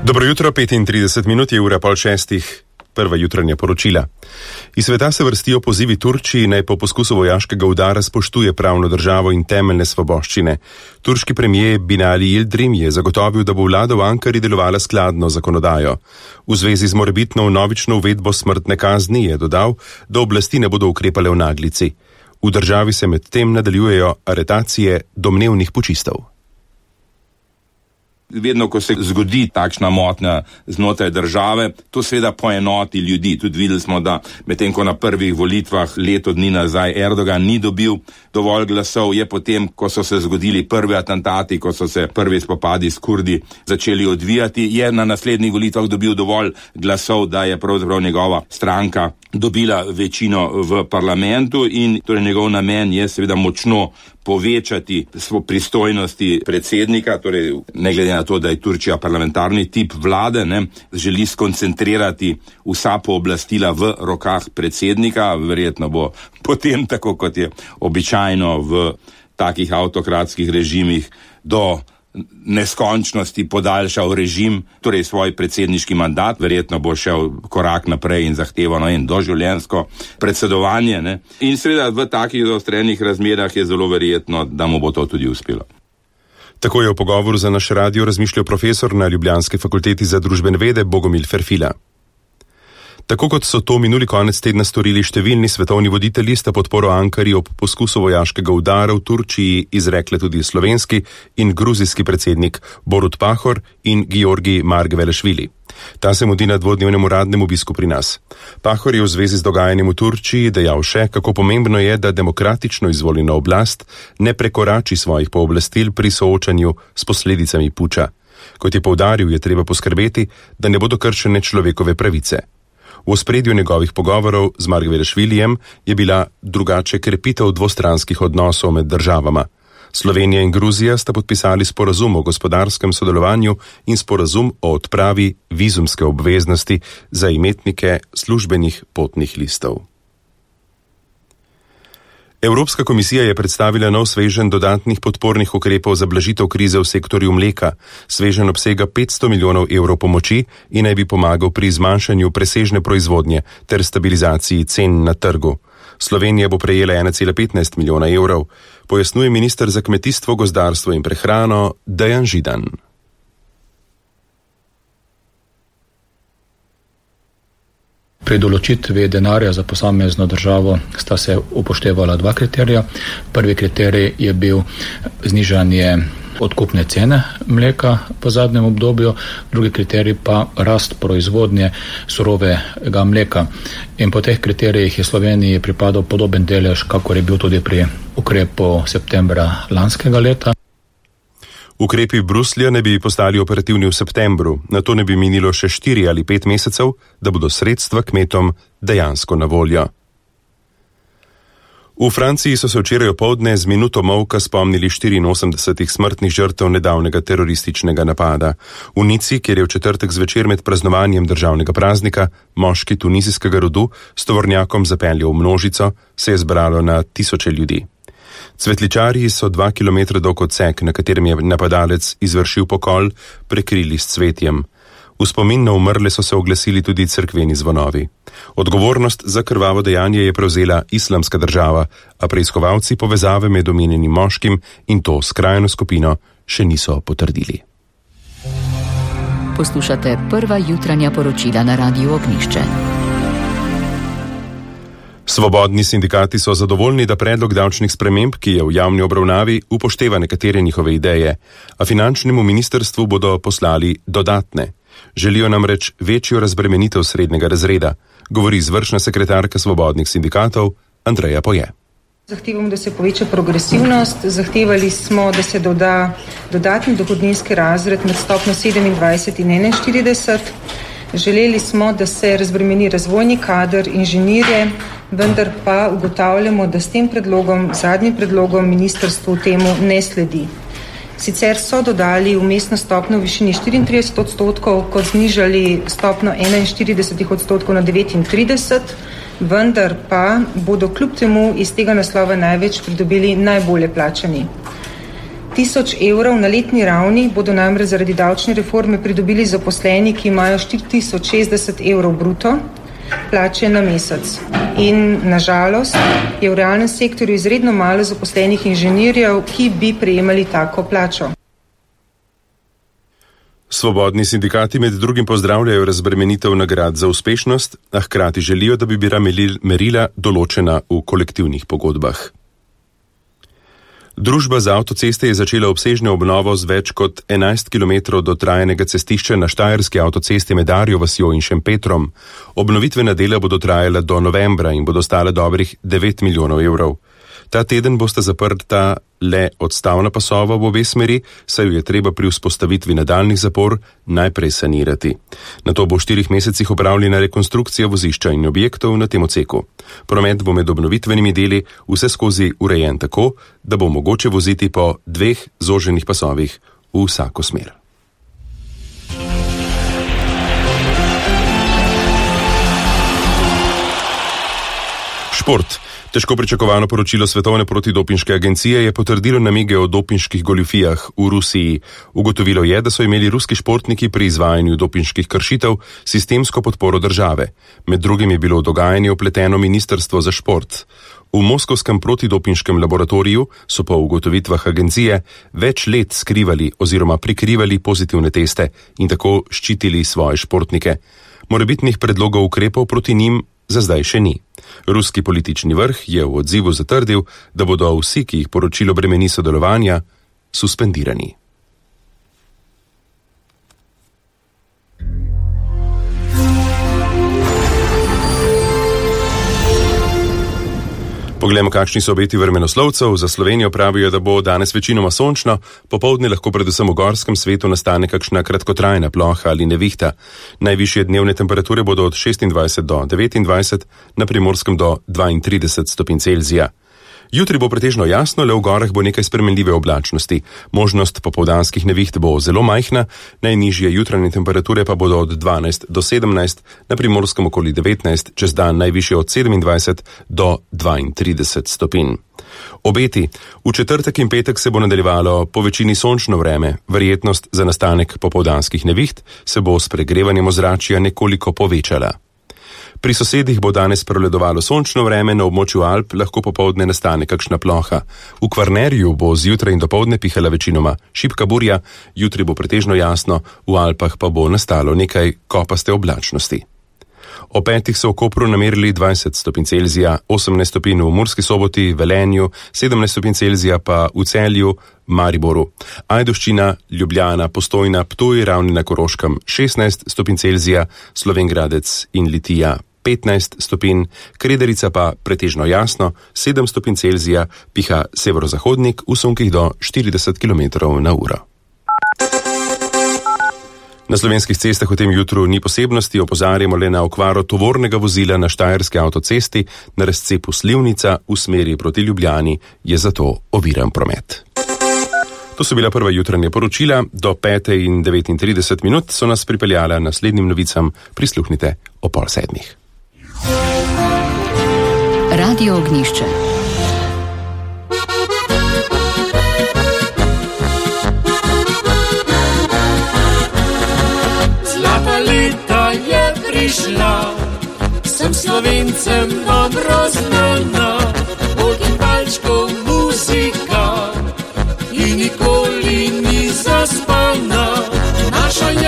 Dobro jutro, 35 minut je ura 5:30, prva jutranja poročila. Iz sveta se vrstijo pozivi Turčiji, naj po poskusu vojaškega udara spoštuje pravno državo in temeljne svoboščine. Turški premijer Binali Yildirim je zagotovil, da bo vlada v Ankari delovala skladno zakonodajo. V zvezi z morebitno vnovično uvedbo smrtne kazni je dodal, da oblasti ne bodo ukrepale v naglici. V državi se medtem nadaljujejo aretacije domnevnih pučistov. Vedno, ko se zgodi takšna motnja znotraj države, to seveda poenoti ljudi. Tudi videli smo, da medtem ko na prvih volitvah leto dni nazaj Erdogan ni dobil dovolj glasov, je potem, ko so se zgodili prvi atentati, ko so se prvi spopadi s Kurdi začeli odvijati, je na naslednjih volitvah dobil dovolj glasov, da je pravzaprav njegova stranka dobila večino v parlamentu in torej njegov namen je seveda močno povečati pristojnosti predsednika, torej ne glede na to, da je Turčija parlamentarni tip vlade, želi skoncentrirati vsa pooblastila v rokah predsednika, verjetno bo potem, tako kot je običajno v takih avtokratskih režimih, do neskončnosti podaljšal režim, torej svoj predsedniški mandat, verjetno bo šel korak naprej in zahtevano in doživljenjsko predsedovanje. In seveda v takih zaostrenih razmerah je zelo verjetno, da mu bo to tudi uspelo. Tako je v pogovoru za naš radio razmišljal profesor na Ljubljanski fakulteti za družbene vede Bogomil Ferfila. Tako kot so to minuli konec tedna storili številni svetovni voditelji, sta podporo Ankari ob poskusu vojaškega udara v Turčiji izrekle tudi slovenski in gruzijski predsednik Borut Pahor in Giorgi Margvelešvili. Ta se mudi na dvodnevnem uradnem obisku pri nas. Pahor je v zvezi z dogajanjem v Turčiji dejal še, kako pomembno je, da demokratično izvoljena oblast ne prekorači svojih pooblastil pri soočanju s posledicami puča. Kot je poudaril, je treba poskrbeti, da ne bodo kršene človekove pravice. V ospredju njegovih pogovorov z Margvelešvilijem je bila drugače krepitev dvostranskih odnosov med državama. Slovenija in Gruzija sta podpisali sporazum o gospodarskem sodelovanju in sporazum o odpravi vizumske obveznosti za imetnike službenih potnih listov. Evropska komisija je predstavila nov sveženj dodatnih podpornih ukrepov za blažitev krize v sektorju mleka. Sveženj obsega 500 milijonov evrov pomoči in naj bi pomagal pri zmanjšanju presežne proizvodnje ter stabilizaciji cen na trgu. Slovenija bo prejela 1,15 milijona evrov, pojasnjuje minister za kmetijstvo, gozdarstvo in prehrano Dejan Židan. Pri določitvi denarja za posamezno državo sta se upoštevala dva kriterija. Prvi kriterij je bil znižanje odkupne cene mleka v zadnjem obdobju, drugi kriterij pa rast proizvodnje surovega mleka. In po teh kriterijih je Sloveniji pripadal podoben delež, kakor je bil tudi pri ukrepu septembra lanskega leta. Ukrepi Bruslja ne bi postali operativni v septembru, nato ne bi minilo še 4 ali 5 mesecev, da bodo sredstva kmetom dejansko na voljo. V Franciji so se včeraj opoldne z minuto molka spomnili 84 smrtnih žrtev nedavnega terorističnega napada. V Nici, kjer je v četrtek zvečer med praznovanjem državnega praznika moški tunizijskega rodu s tovornjakom zapeljal v množico, se je zbralo na tisoče ljudi. Cvetličarji so 2 kilometra dolg odsek, na katerem je napadalec izvršil pokol, prekrili s cvetjem. V spomin na umrle so se oglasili tudi cerkveni zvonovi. Odgovornost za krvavo dejanje je prevzela Islamska država, a preiskovalci povezave med omenjenim moškim in to skrajno skupino še niso potrdili. Poslušate prva jutranja poročila na Radiu Ognjišče. Svobodni sindikati so zadovoljni, da predlog davčnih sprememb, ki je v javni obravnavi, upošteva nekatere njihove ideje, a finančnemu ministrstvu bodo poslali dodatne. Želijo namreč večjo razbremenitev srednjega razreda, govori izvršna sekretarka svobodnih sindikatov Andreja Poje. Zahtevamo, da se poveča progresivnost, zahtevali smo, da se doda dodatni dohodninski razred med stopnjo 27 in 41. Želeli smo, da se razbremeni razvojni kader, inženirje, vendar pa ugotavljamo, da s tem predlogom, zadnjim predlogom ministrstvu temu ne sledi. Sicer so dodali vmesno stopnjo v višini 34%, kot znižali stopnjo 41% na 39%, vendar pa bodo kljub temu iz tega naslova največ pridobili najbolje plačani. 1000 evrov na letni ravni bodo namreč zaradi davčne reforme pridobili zaposleni, ki imajo 4060 evrov bruto plače na mesec. In nažalost je v realnem sektorju izredno malo zaposlenih inženirjev, ki bi prejemali tako plačo. Svobodni sindikati med drugim pozdravljajo razbremenitev nagrad za uspešnost, a hkrati želijo, da bi bila merila določena v kolektivnih pogodbah. Družba za avtoceste je začela obsežno obnovo z več kot 11 km dotrajanega cestišča na Štajerski avtocesti med Arjo vasjo in Šempetrom. Obnovitvena dela bodo trajala do novembra in bodo stala dobrih 9 milijonov evrov. Ta teden bosta zaprta le odstavna pasova v obe smeri, saj jo je treba pri vzpostavitvi nadaljnjih zapor najprej sanirati. Nato bo v 4 mesecih opravljena rekonstrukcija vozišča in objektov na tem odseku. Promet bo med obnovitvenimi deli vse skozi urejen tako, da bo mogoče voziti po 2 zoženih pasovih v vsako smer. Šport. Težko pričakovano poročilo Svetovne protidopinške agencije je potrdilo namige o dopinških goljufijah v Rusiji. Ugotovilo je, da so imeli ruski športniki pri izvajanju dopinških kršitev sistemsko podporo države. Med drugim je bilo v dogajanje vpleteno Ministrstvo za šport. V moskovskem protidopinškem laboratoriju so po ugotovitvah agencije več let skrivali oziroma prikrivali pozitivne teste in tako ščitili svoje športnike. Morebitnih predlogov ukrepov proti njim za zdaj še ni. Ruski politični vrh je v odzivu zatrdil, da bodo vsi, ki jih poročilo bremeni sodelovanja, suspendirani. Poglejmo, kakšni so obeti vremenoslovcev. Za Slovenijo pravijo, da bo danes večinoma sončno, popoldne lahko predvsem v gorskem svetu nastane kakšna kratkotrajna ploha ali nevihta. Najvišje dnevne temperature bodo od 26 do 29, na Primorskem do 32 stopinj Celzija. Jutri bo pretežno jasno, le v gorah bo nekaj spremenljive oblačnosti. Možnost popoldanskih neviht bo zelo majhna, najnižje jutranje temperature pa bodo od 12 do 17, na Primorskem okoli 19, čez dan najvišje od 27 do 32 stopinj. Obeti. V četrtek in petek se bo nadaljevalo po večini sončno vreme. Verjetnost za nastanek popoldanskih neviht se bo s pregrevanjem ozračja nekoliko povečala. Pri sosedih bo danes prevladovalo sončno vreme, na območju Alp lahko popoldne nastane kakšna ploha. V Kvarnerju bo zjutraj in dopoldne pihala večinoma šibka burja, jutri bo pretežno jasno, v Alpah pa bo nastalo nekaj kopaste oblačnosti. O 5 so v Kopru namerili 20 stopinj Celzija, 18 stopinj v Murski Soboti, Velenju, 17 stopinj Celzija pa v Celju, Mariboru. Ajdovščina, Ljubljana, Postojna, Ptuj, Ravni na Koroškem 16 stopinj Celzija, Slovenj Gradec in Litija 15 stopinj, Krederica pa pretežno jasno, 7 stopinj Celzija, piha severozahodnik v sunkih do 40 km/h. Na slovenskih cestah v tem jutru ni posebnosti, opozarjamo le na okvaro tovornega vozila na Štajerski avtocesti na razcepu Slivnica v smeri proti Ljubljani, je zato oviran promet. To so bila prva jutranja poročila, do 5:39 so nas pripeljala naslednjim novicam, prisluhnite o 6:30. Radio Ognjišče. Zlata leta je prišla, vsem Slovencem dobro